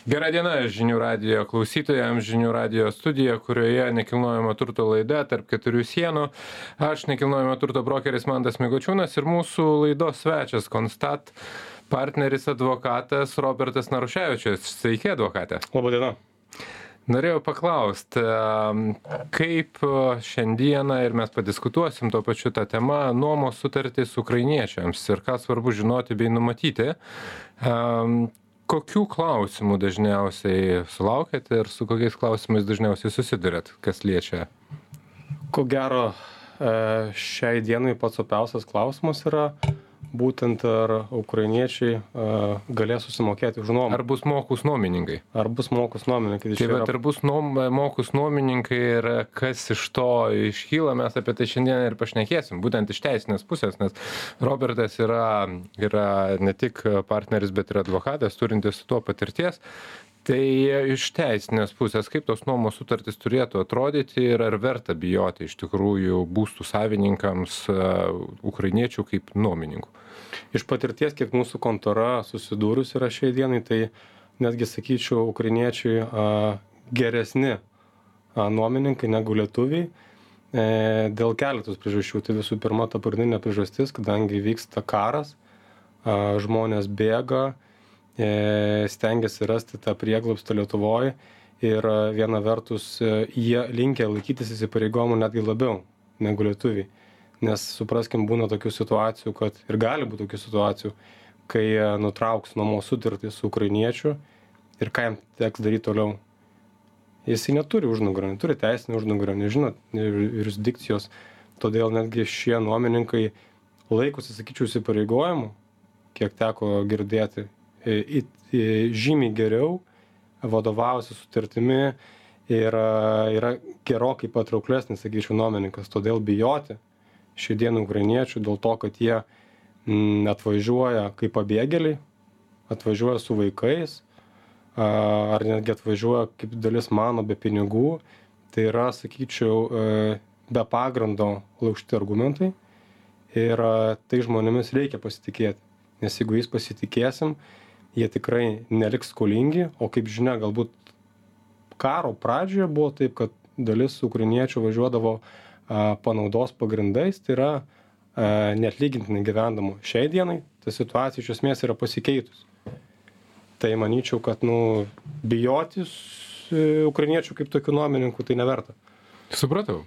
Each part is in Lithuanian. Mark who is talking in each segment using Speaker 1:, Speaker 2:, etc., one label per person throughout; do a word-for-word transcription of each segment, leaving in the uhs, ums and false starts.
Speaker 1: Gera diena žinių radijo klausytojams, žinių radijo studija, kurioje nekilnojamo turto laida tarp keturių sienų. Aš nekilnojamo turto brokeris Mantas Mikočiūnas ir mūsų laidos svečias Constat partneris advokatas Robertas Naruševičius. Sveiki, advokate.
Speaker 2: Labą dieną.
Speaker 1: Norėjau paklausti, kaip šiandieną ir mes padiskutuosim tuo pačiu tą temą nuomos sutartys ukrainiečiams ir ką svarbu žinoti bei numatyti. Kokių klausimų dažniausiai sulaukėte ir su kokiais klausimais dažniausiai susidurėt, kas liečia?
Speaker 2: Ko gero, šiai dienai pats opiausias klausimas yra būtent ar ukrainiečiai galės susimokėti už nuomą.
Speaker 1: Ar bus mokus nuomininkai?
Speaker 2: Ar bus mokus nuomininkai?
Speaker 1: Tai bet ar bus nuom, mokus nuomininkai ir kas iš to iškyla, mes apie tai šiandien ir pašnekėsim, būtent iš teisinės pusės, nes Robertas yra, yra ne tik partneris, bet ir advokatas, turintis su tuo patirties. Tai iš teisinės pusės, kaip tos nuomos sutartys turėtų atrodyti ir ar verta bijoti iš tikrųjų būstų savininkams ukrainiečių kaip nuomininkų?
Speaker 2: Iš patirties, kiek mūsų kontora susidūrus yra šiai dienai, tai netgi sakyčiau, ukrainiečiai a, geresni a, nuomininkai negu lietuviai e, dėl keletos priežasčių. Tai visų pirma, ta pagrindinė priežastis, kadangi vyksta karas, a, žmonės bėga, stengiasi rasti tą prieglobstį Lietuvoje ir viena vertus jie linkę laikytis įsipareigojimų netgi labiau negu lietuviai. Nes supraskim, būna tokių situacijų, kad ir gali būti tokių situacijų, kai nutrauks nuomos sutartį su ukrainiečiu ir ką jam teks daryti toliau. Jis neturi užnugario, neturi teisinį užnugario, nežino jurisdikcijos, todėl netgi šie nuomininkai laikosi, sakyčiau, įsipareigojimų, kiek teko girdėti, Į, į, žymiai geriau vadovavosi sutartimi ir yra gerokai patrauklesnis, sakyčiau, nuomininkas. Todėl bijoti šių dienų ukrainiečių dėl to, kad jie m, atvažiuoja kaip pabėgėliai, atvažiuoja su vaikais, ar netgi atvažiuoja kaip dalis mano be pinigų, tai yra, sakyčiau, be pagrindo laužti argumentai ir tai žmonėmis reikia pasitikėti. Nes jeigu jais pasitikėsim, jie tikrai neliks skolingi, o kaip žinia, galbūt karo pradžioje buvo taip, kad dalis ukrainiečių važiuodavo a, panaudos pagrindais, tai yra a, neatlygintinai gyvendamo. Šiai dienai ta situacija iš esmės yra pasikeitus. Tai manyčiau, kad nu, bijotis ukrainiečių kaip tokių nuomininkų tai neverta.
Speaker 1: Supratau.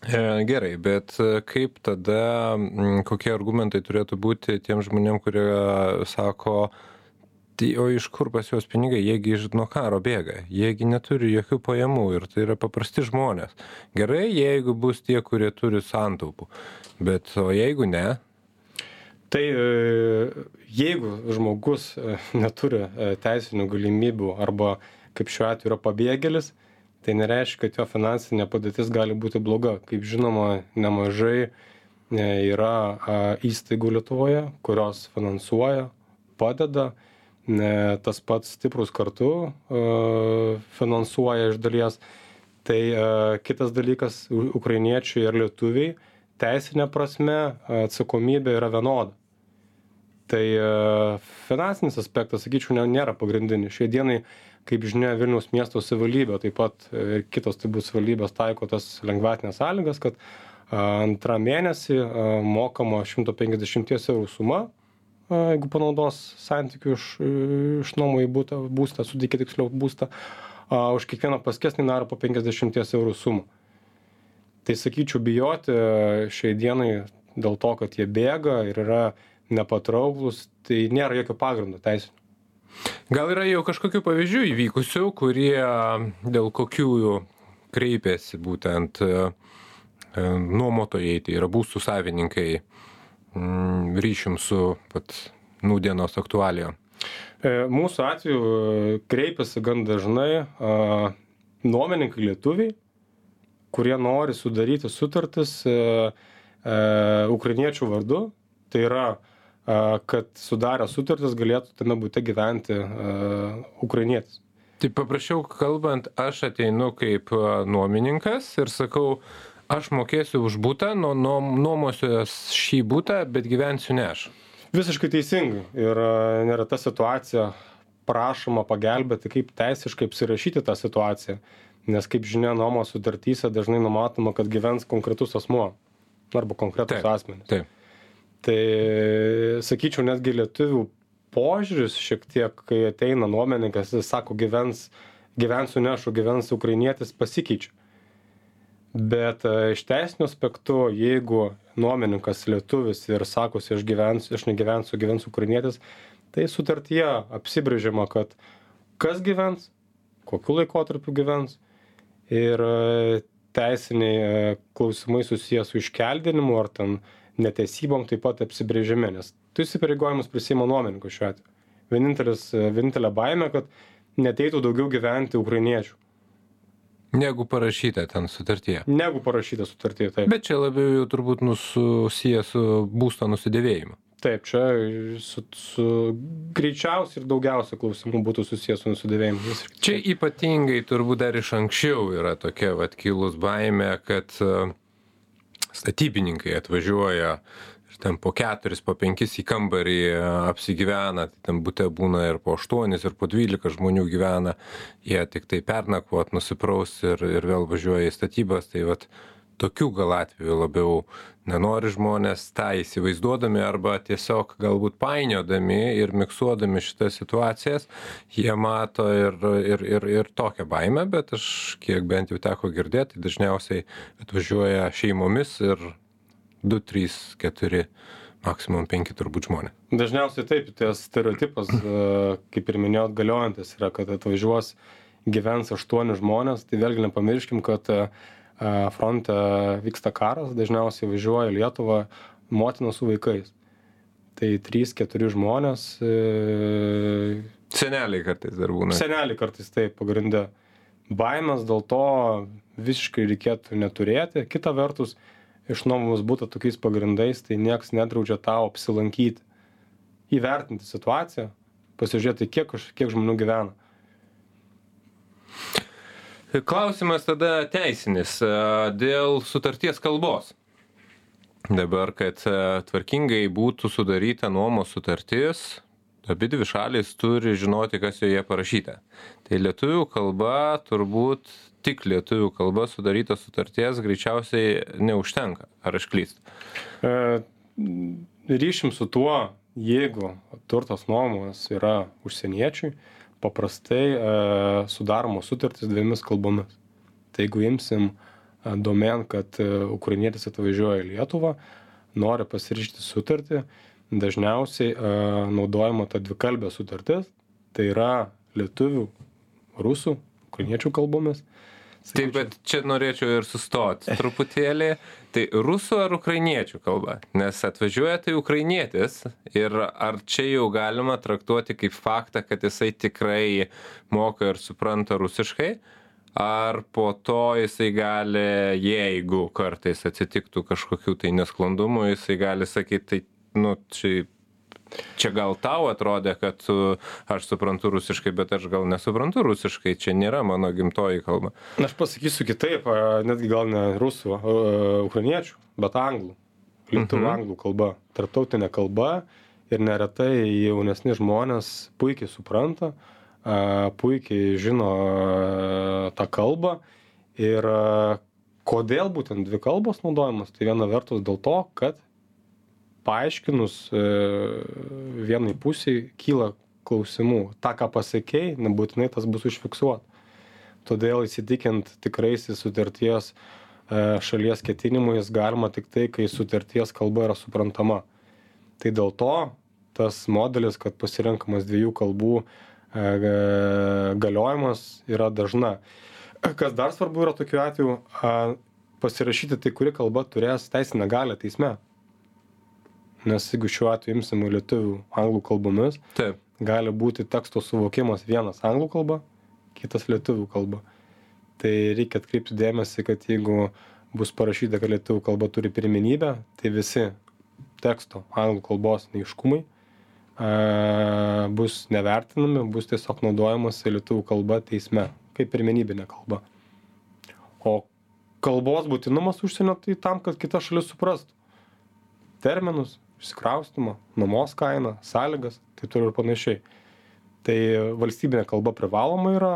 Speaker 1: E, gerai, bet kaip tada, kokie argumentai turėtų būti tiem žmonėm, kurie sako, tai o iš kur pas juos pinigai, jiegi iš nuo karo bėga, jiegi neturi jokių pajamų ir tai yra paprasti žmonės. Gerai, jeigu bus tie, kurie turi santaupų, bet o jeigu ne?
Speaker 2: Tai jeigu žmogus neturi teisinių galimybių arba kaip šiuo atveju yra pabėgėlis, tai nereiškia, kad jo finansinė padėtis gali būti bloga. Kaip žinoma, nemažai yra įstaigų Lietuvoje, kurios finansuoja, padeda. Tas pats Stiprūs kartu finansuoja iš dalies. Tai kitas dalykas, ukrainiečiai ir lietuviai, teisinė prasme atsakomybė yra vienoda. Tai finansinis aspektas, sakyčiau, nėra pagrindinis. Šiai dienai, kaip žinia, Vilniaus miesto savivaldybė, taip pat ir kitos tai bus savivaldybės taiko tas lengvatinės sąlygas, kad antrą mėnesį mokama šimtas penkiasdešimt eurų suma, jeigu panaudos santykių iš, iš nuomų į būtą, būstą, sudėkit tiksliau būstą, a, už kiekvieną paskesnį narą po penkiasdešimt eurų sumą. Tai sakyčiau, bijoti šiai dienai dėl to, kad jie bėga ir yra nepatrauklus, tai nėra jokio pagrindo teisinio.
Speaker 1: Gal yra jau kažkokių pavyzdžių įvykusių, kurie dėl kokių kreipėsi būtent nuomotojai, tai yra būstų savininkai, ryšium su pat nūdienos aktualijom?
Speaker 2: Mūsų atveju kreipiasi gan dažnai a, nuomininkai lietuviai, kurie nori sudaryti sutartis a, a, ukrainiečių vardu. Tai yra, a, kad sudarę sutartis galėtų tame bute gyventi a, ukrainietis.
Speaker 1: Tai paprašiau kalbant, aš ateinu kaip nuomininkas ir sakau, aš mokėsiu už butą, nuo nuomosiuos šį butą, bet gyvensiu ne aš.
Speaker 2: Visiškai teisingai. Ir nėra ta situacija prašoma pagelbėti, kaip teisiškai apsirašyti tą situaciją. Nes, kaip žinia, nuomos sutartyse dažnai numatoma, kad gyvens konkretus asmuo arba konkretus
Speaker 1: taip,
Speaker 2: asmenys.
Speaker 1: Taip.
Speaker 2: Tai, sakyčiau, netgi lietuvių požiūris šiek tiek, kai ateina nuomininkas, jis sako, gyvens, gyvensiu nešu, gyvens ukrainietis, pasikeičia. Bet iš teisinio aspektu, jeigu nuomininkas lietuvis ir sakosi, aš gyvensiu, aš negyvensiu, gyvensiu ukrainietis, tai sutartyje apsibrėžiama, kad kas gyvens, kokiu laikotarpiu gyvens ir teisiniai klausimai susijęs su iškeldinimu ar ten neteisybom taip pat apsibrėžiami, nes tu įsipareigojimus prisiima nuomininkas šiuo atveju. Vienintelis, vienintelė baimė, kad neteitų daugiau gyventi ukrainiečių.
Speaker 1: Negu parašyta ten sutartyje.
Speaker 2: Negu parašyta sutartyje, taip.
Speaker 1: Bet čia labiau jau turbūt susijęs su būsto nusidėvėjimu.
Speaker 2: Taip, čia su, su greičiausiai ir daugiausia klausimų būtų susijęs su nusidėvėjimu.
Speaker 1: Čia ypatingai turbūt dar iš anksčiau yra tokia vat kilus baimė, kad statybininkai atvažiuoja ir ten po keturis, po penkis į kambarį apsigyvena, tai ten bute būna ir po aštuonis, ir po dvylika žmonių gyvena, jie tik tai pernakvot, nusipraus ir, ir vėl važiuoja į statybas, tai vat tokių gal atveju labiau nenori žmonės tą įsivaizduodami arba tiesiog galbūt painiodami ir miksuodami šitas situacijas, jie mato ir, ir, ir, ir tokią baimę, bet aš kiek bent jau teko girdėti, dažniausiai atvažiuoja šeimomis ir du, trys, keturi, maksimum penki turbūt žmonės.
Speaker 2: Dažniausiai taip, tas stereotipas, kaip ir minėjot, galiojantis yra, kad atvažiuos gyvens aštuoni žmonės, tai vėlgi nepamirškim, kad fronte vyksta karas, dažniausiai važiuoja į Lietuvą motina su vaikais. Tai trys, keturi žmonės. E...
Speaker 1: Seneliai kartais dar būna.
Speaker 2: Seneliai kartais taip, pagrinde. Baimės dėl to visiškai reikėtų neturėti. Kita vertus, išnuomomus būtų tokiais pagrindais, tai nieks nedraudžia tau apsilankyti. Įvertinti situaciją, pasižiūrėti, kiek, kiek žmonių gyvena.
Speaker 1: Klausimas tada teisinis dėl sutarties kalbos. Dabar, kad tvarkingai būtų sudaryta nuomos sutartis, abi dvi šalys turi žinoti, kas joje parašyta. Tai lietuvių kalba, turbūt tik lietuvių kalba sudaryta sutarties greičiausiai neužtenka. Ar aš klystu?
Speaker 2: E, ryšim su tuo, jeigu turtas nuomos yra užsieniečiui, paprastai e, sudaromos sutartys dviemis kalbomis. Tai jeigu imsim e, domen, kad e, ukrainietis atvažiuoja į Lietuvą, nori pasirašyti sutartį, dažniausiai e, naudojama ta dvikalbė sutartis, tai yra lietuvių, rusų, ukrainiečių kalbomis.
Speaker 1: Taip, bet čia norėčiau ir sustoti truputėlį. Tai rusų ar ukrainiečių kalba? Nes atvažiuoja tai ukrainietis ir ar čia jau galima traktuoti kaip faktą, kad jisai tikrai moka ir supranta rusiškai? Ar po to jisai gali, jeigu kartais atsitiktų kažkokių tai nesklandumų, jisai gali sakyti, tai, nu, čia... Čia gal tau atrodė, kad aš suprantu rusiškai, bet aš gal nesuprantu rusiškai, čia nėra mano gimtoji kalba.
Speaker 2: Aš pasakysiu kitaip, netgi gal ne rusų, ukrainiečių, bet anglų. Lietuvių mhm. anglų kalba, tarptautinė kalba ir neretai jaunesni žmonės puikiai supranta, puikiai žino tą kalbą ir kodėl būtent dvi kalbos naudojamas, tai viena vertus dėl to, kad paaiškinus e, vienai pusiai kyla klausimų. Ta, ką pasakei, nebūtinai tas bus užfiksuota. Todėl įsitikint tikraisiais sutarties e, šalies ketinimais galima tik tai, kai sutarties kalba yra suprantama. Tai dėl to tas modelis, kad pasirenkamas dviejų kalbų e, galiojimas yra dažna. Kas dar svarbu yra tokiu atveju, a, pasirašyti tai, kuri kalba turės teisinę galią teisme. Nes jeigu šiuo atveju imsime lietuvių anglų kalbomis,
Speaker 1: taip,
Speaker 2: gali būti teksto suvokimas vienas anglų kalba, kitas lietuvių kalba. Tai reikia atkreipti dėmesį, kad jeigu bus parašyta, kad lietuvių kalba turi pirmenybę, tai visi teksto anglų kalbos neaiškumai a, bus nevertinami, bus tiesiog naudojamas lietuvių kalba teisme, kaip pirmenybinė kalba. O kalbos būtinumas užsienio tai tam, kad kita šalis suprastų terminus, išsikraustymą, nuomos kainą, sąlygas, tai turi ir panašiai. Tai valstybinė kalba privaloma yra,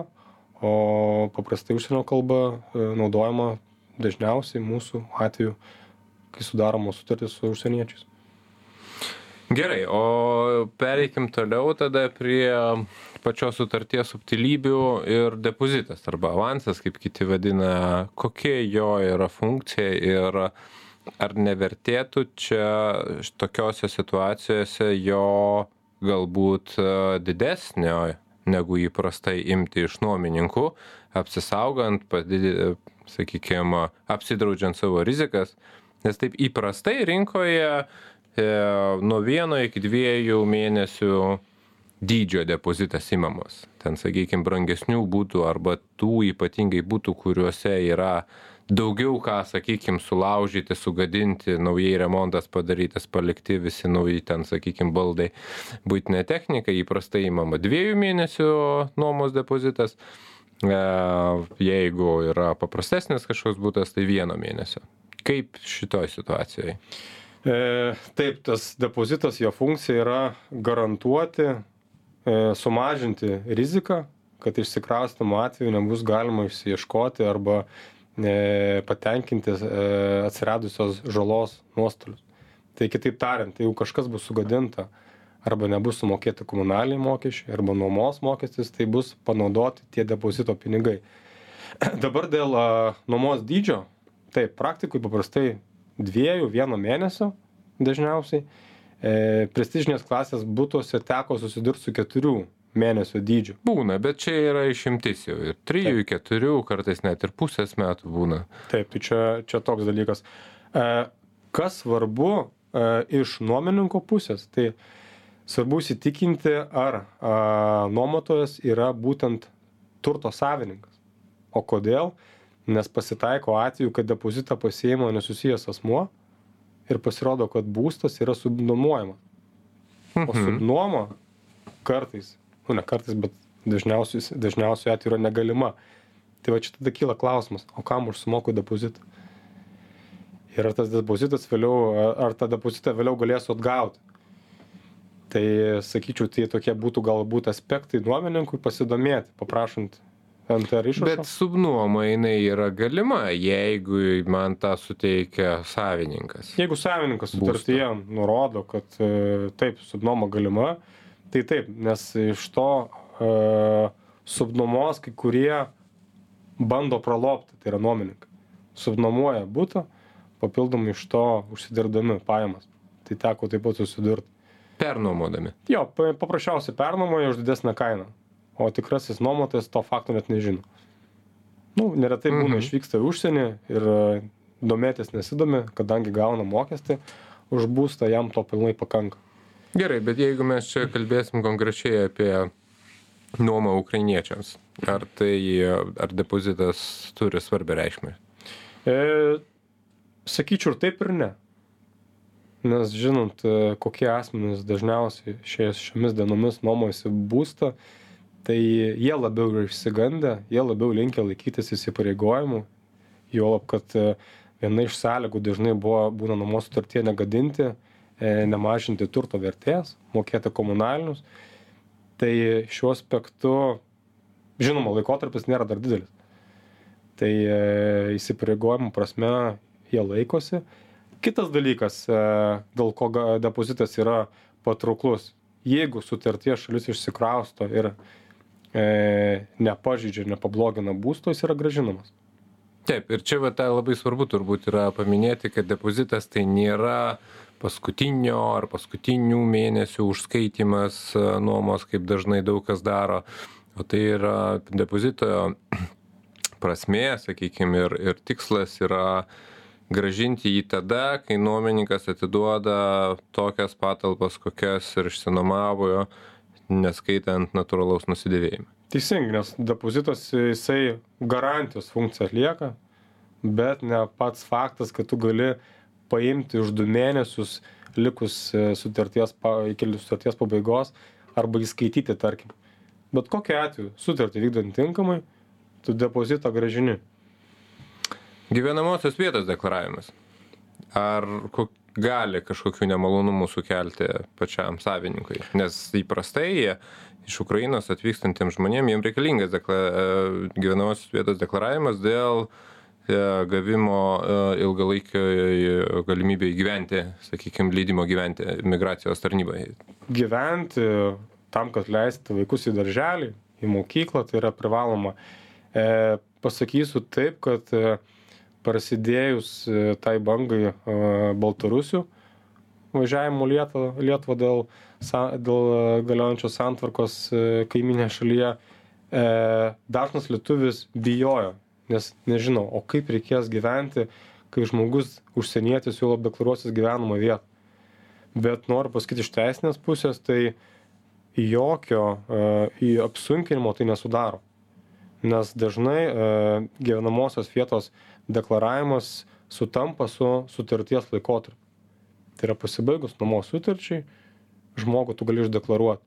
Speaker 2: o paprastai užsienio kalba naudojama dažniausiai mūsų atveju, kai sudaromos sutartys su užsieniečiais.
Speaker 1: Gerai, o pereikim toliau tada prie pačios sutarties subtilybių ir depozitas arba avansas, kaip kiti vadina, kokia jo yra funkcija ir ar nevertėtų čia tokiose situacijose jo galbūt didesnio negu įprastai imti iš nuomininkų, apsisaugant, padidinti, sakykime, apsidraudžiant savo rizikas, nes taip įprastai rinkoje e, nuo vieno iki dviejų mėnesių dydžio depozitas imamas. Ten, sakykime, brangesnių būtų arba tų ypatingai būtų, kuriuose yra daugiau ką, sakykime, sulaužyti, sugadinti, naujai remontas padarytas, palikti visi nauji ten, sakykime, baldai, buitinė technika, įprastai imama dviejų mėnesių nuomos depozitas. Jeigu yra paprastesnis kažkoks būtas, tai vieno mėnesio. Kaip šitoj situacijoje?
Speaker 2: E, taip, tas depozitas, jo funkcija yra garantuoti, e, sumažinti riziką, kad išsikraustymo atveju nebus galima išsiieškoti arba e, patenkinti e, atsiradusios žalos nuostolius. Tai kitaip tariant, jeigu kažkas bus sugadinta arba nebus sumokėti komunaliniai mokesčiai arba nuomos mokestis, tai bus panaudoti tie depozito pinigai. Dabar dėl a, nuomos dydžio, taip, praktikui paprastai dviejų, vieno mėnesio dažniausiai. E, prestižinės klasės būtuose teko susidurti su keturių mėnesio dydžiu.
Speaker 1: Būna, bet čia yra išimtis jau. Ir trijų, keturių, kartais net ir pusės metų būna.
Speaker 2: Taip, tai čia, čia toks dalykas. E, kas svarbu e, iš nuomininko pusės, tai svarbu įsitikinti, ar a, nuomotojas yra būtent turto savininkas. O kodėl? Nes pasitaiko atveju, kad depozitą pasiima nesusijęs asmuo ir pasirodo, kad būstas yra subnuomojamas. O
Speaker 1: Mhm.
Speaker 2: subnuoma kartais, nu ne kartais, bet dažniausiai, dažniausiai atveju yra negalima. Tai va čia tada kyla klausimas, o kam aš sumoku depozitą? Ir ar tas depozitas vėliau, ar tą depozitą vėliau galėsiu atgauti? Tai sakyčiau, tai tokie būtų galbūt aspektai nuomininkui pasidomėti, paprašant N T R išrašo.
Speaker 1: Bet subnuoma jinai yra galima, jeigu man tą suteikia savininkas.
Speaker 2: Jeigu savininkas sutartyje nurodo, kad e, taip, subnuoma galima, tai taip, nes iš to e, subnuomos kai kurie bando pralopti, tai yra nuomininkai. Subnuomoja butą, papildomai iš to užsidirbdami pajamas. Tai teko taip pat susidurti.
Speaker 1: Pernuomodami.
Speaker 2: Jo, pa- paprasčiausiai pernuomoja už didesnę kainą, o tikrasis nuomotojas to fakto net nežino. Nu, neretai būna
Speaker 1: Mhm.
Speaker 2: išvyksta į užsienį ir e, domėtis nesidomi, kadangi gauna mokestį už būstą, jam to pilnai pakanka.
Speaker 1: Gerai, bet jeigu mes čia kalbėsim konkrečiai apie nuomą ukrainiečiams, ar tai, ar depozitas turi svarbią reikšmę?
Speaker 2: E, sakyčiau ir taip ir ne. Nes žinant, e, kokie asmenys dažniausiai šiais, šiomis dienomis nuomojasi būstą, tai jie labiau yra išsigandę, jie labiau linkę laikytis įsipareigojimų, juolab, kad e, viena iš sąlygų dažnai buvo, būna nuomos sutartyje negadinti, e, nemažinti turto vertės, mokėti komunalinius. Tai šiuo aspektu, žinoma, laikotarpis nėra dar didelis. Tai e, įsipareigojimų prasme jie laikosi. Kitas dalykas, e, dėl ko ga- depozitas yra patrauklus. Jeigu sutarties šalis išsikrausto ir e, nepažeidžia, nepablogina būsto, jis yra gražinamas.
Speaker 1: Taip, ir čia va, tai labai svarbu turbūt yra paminėti, kad depozitas tai nėra paskutinio ar paskutinių mėnesių užskaitimas e, nuomos, kaip dažnai daug kas daro, o tai yra depozito prasmė, sakykime, ir, ir tikslas yra grąžinti jį tada, kai nuomininkas atiduoda tokias patalpas, kokias ir išsinuomavo, neskaitant natūralaus nusidėvėjimo.
Speaker 2: Teisingai, nes depozitas jisai garantijos funkciją atlieka, bet ne pats faktas, kad tu gali paimti už du mėnesius likus e, sutarties, pa- iki sutarties pabaigos arba įskaityti, tarkim. Bet kokiu atveju sutartį vykdant tinkamai, tu depozitą grąžini.
Speaker 1: Gyvenamosios vietos deklaravimas. Ar ko- gali kažkokių nemalonumų sukelti pačiam savininkui, nes įprastai jie iš Ukrainos atvykstantiems žmonėms jiems reikalingas dekla, gyvenamosios vietos deklaravimas dėl gavimo ilgalaikio galimybę įgyventi, sakykime, leidimo gyventi migracijos tarnybai.
Speaker 2: Gyventi tam, kad leisti vaikus į darželį, į mokyklą, tai yra privaloma. E, pasakysiu taip, kad e, prasidėjus e, tai bangai e, Baltarusių važiavimo Lietuvą, Lietuvą dėl, sa, dėl galiojančios santvarkos e, kaiminė šalyje, e, dažnas lietuvis bijojo, nes nežinau, o kaip reikės gyventi, kai žmogus užsienietis jau deklaruosis gyvenamą vietą. Bet noriu pasakyti iš teisinės pusės, tai jokio e, į apsunkinimo tai nesudaro. Nes dažnai e, gyvenamosios vietos deklaravimas sutampa su sutarties laikotarpiu. Tai yra pasibaigus nuomos sutarčiai, žmogų tu gali išdeklaruoti.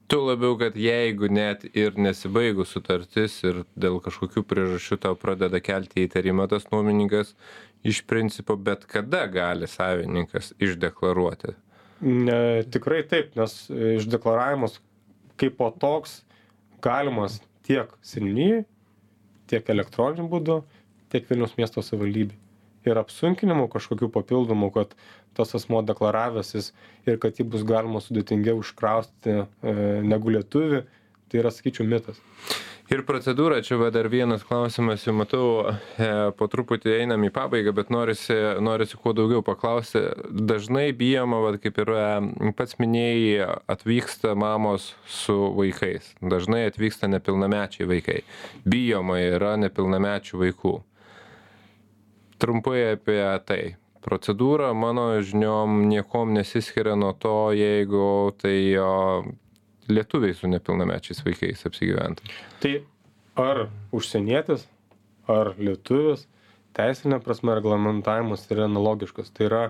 Speaker 1: Tu labiau, kad jeigu net ir nesibaigus sutartis ir dėl kažkokių priežasčių tau pradeda kelti įtarimą tas nuomininkas, iš principo bet kada gali savininkas išdeklaruoti.
Speaker 2: Ne, tikrai taip, nes išdeklaravimas kaip po toks galimas tiek seniūnijai, tiek elektroniniu būdu, tiek Vilniaus miesto savivaldybei. Ir apsunkinimų kažkokių papildomų, kad tas asmuo deklaravęsis ir kad jį bus galima sudėtingiau užkrausti e, negu lietuvį, tai yra, sakyčiau, mitas.
Speaker 1: Ir procedūra, čia va dar vienas klausimas, jau matau, e, po truputį einam į pabaigą, bet norisi, norisi kuo daugiau paklausti. Dažnai bijoma, va, kaip ir pats minėjai, atvyksta mamos su vaikais. Dažnai atvyksta nepilnamečiai vaikai. Bijoma yra nepilnamečių vaikų. Trumpai apie tai. Procedūra, mano žiniom, niekom nesiskiria nuo to, jeigu tai o, lietuviai su nepilnamečiais vaikais apsigyventų.
Speaker 2: Tai ar užsienietis, ar lietuvis, teisinė prasme reglamentavimas yra analogiškas. Tai yra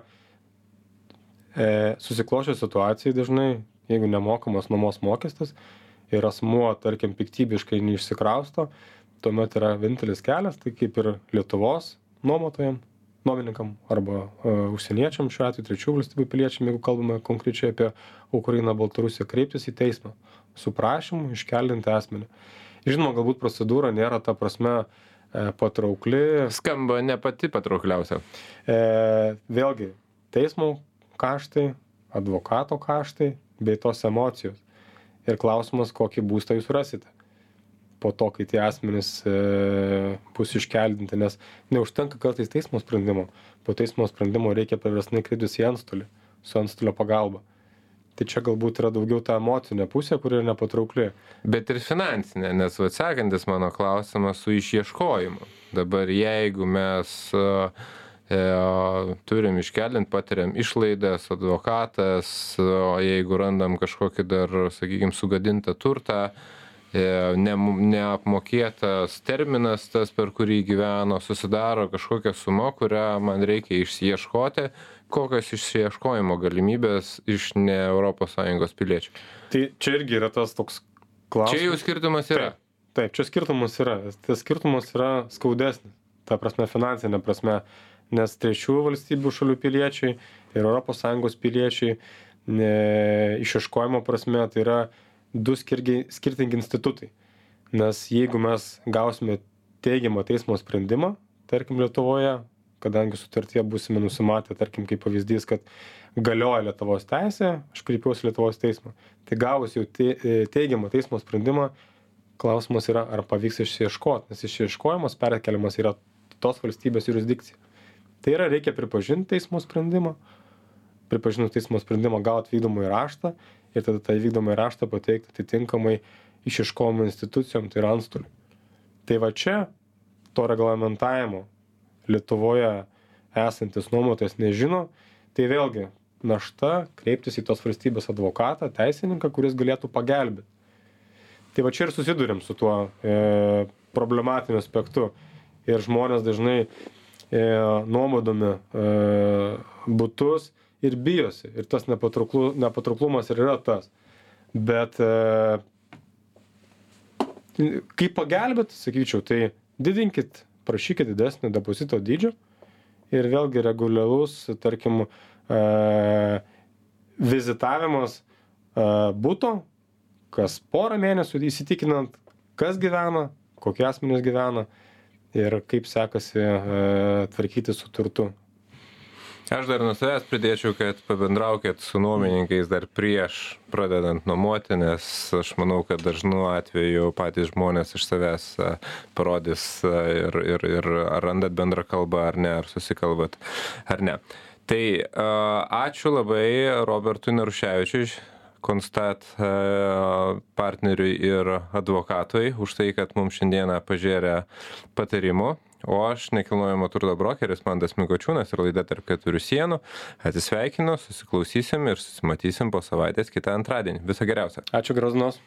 Speaker 2: e, susiklošę situacijai dažnai, jeigu nemokamas nuomos mokestis ir asmuo, tarkim, piktybiškai neišsikrausto, tuomet yra vienintelis kelias, tai kaip ir Lietuvos nuomotojam, nuomininkam arba uh, užsieniečiam, šiuo atveju trečių valstybių piliečiam, jeigu kalbame konkrečiai apie Ukrainą, Baltarusiją, kreiptis į teismą su prašymu iškeldinti asmenį. Žinoma, galbūt procedūra nėra ta prasme e, patraukli.
Speaker 1: Skamba ne pati patraukliausia.
Speaker 2: E, vėlgi, teismo kaštai, advokato kaštai bei tos emocijos. Ir klausimas, kokį būstą jūs rasite po to, kai tie asmenys e, bus iškeldinti, nes neužtenka kartais teismo sprendimo. Po teismo sprendimo reikia priverstinai kreiptis į antstolį, su antstolio pagalba. Tai čia galbūt yra daugiau ta emocinė pusė, kuri yra nepatraukli.
Speaker 1: Bet ir finansinė, nes atsakantis mano klausimas su išieškojimu. Dabar jeigu mes e, turim iškeldinti, patiriam išlaidas, advokatas, o jeigu randam kažkokį dar, sakykime, sugadintą turtą, Ne, neapmokėtas terminas tas, per kurį gyveno, susidaro kažkokia suma, kurią man reikia išsiieškoti, kokios išsiieškojimo galimybės iš ne Europos Sąjungos piliečių.
Speaker 2: Tai čia irgi yra tas toks klausimas.
Speaker 1: Čia jau skirtumas yra.
Speaker 2: Taip, taip, čia skirtumas yra. Tas skirtumas yra skaudesnis, ta prasme finansinė prasme, nes trečių valstybių šalių piliečiai ir Europos Sąjungos piliečiai ne, išieškojimo prasme tai yra du skirgi, skirtingi institutai. Nes jeigu mes gausime teigiamą teismo sprendimą, tarkim Lietuvoje, kadangi sutartyje būsime nusimatę, tarkim kaip pavyzdys, kad galioja Lietuvos teisė, aš kreipiausi Lietuvos teismą. Tai gavus jau te, teigiamą teismo sprendimą, klausimas yra, ar pavyks išieškoti, nes išieškojimas perkeliamas yra tos valstybės jurisdikcija. Tai yra, reikia pripažinti teismo sprendimą, pripažinus teismo sprendimą gauti vykdomąjį raštą ir tada tą vykdomąjį raštą pateikti atitinkamai išieškojimo institucijom, tai yra antstoliui. Tai va čia to reglamentavimo Lietuvoje esantis nuomotojas nežino, tai vėlgi našta kreiptis į tos valstybės advokatą, teisininką, kuris galėtų pagelbėti. Tai va čia ir susidurėm su tuo e, problematiniu aspektu. Ir žmonės dažnai e, nuomodami e, butus ir bijosi. Ir tas nepatrauklu, nepatrauklumas ir yra tas. Bet e, kaip pagelbėti, sakyčiau, tai didinkit, prašykit didesnį depozito dydžio ir vėlgi reguliarus, tarkim, vizitavimas būtų, kas porą mėnesių įsitikinant, kas gyvena, kokie asmenys gyvena ir kaip sekasi tvarkyti su turtu.
Speaker 1: Aš dar nuo savęs pridėčiau, kad pabendraukit su nuomininkais dar prieš pradedant nuomoti, nes aš manau, kad dažnu atveju patys žmonės iš savęs parodys ir, ir, ir ar randat bendrą kalbą ar ne, ar susikalbat ar ne. Tai ačiū labai Robertui Naruševičiui, Constat partneriui ir advokatui už tai, kad mums šiandieną pažėrė patarimų. O aš nekilnojamo turto brokeris Mantas Mikočiūnas ir laida Tarp keturių sienų. Atsisveikinu, susiklausysim ir susimatysim po savaitės kitą antradienį. Viso geriausio.
Speaker 2: Ačiū, gražios dienos.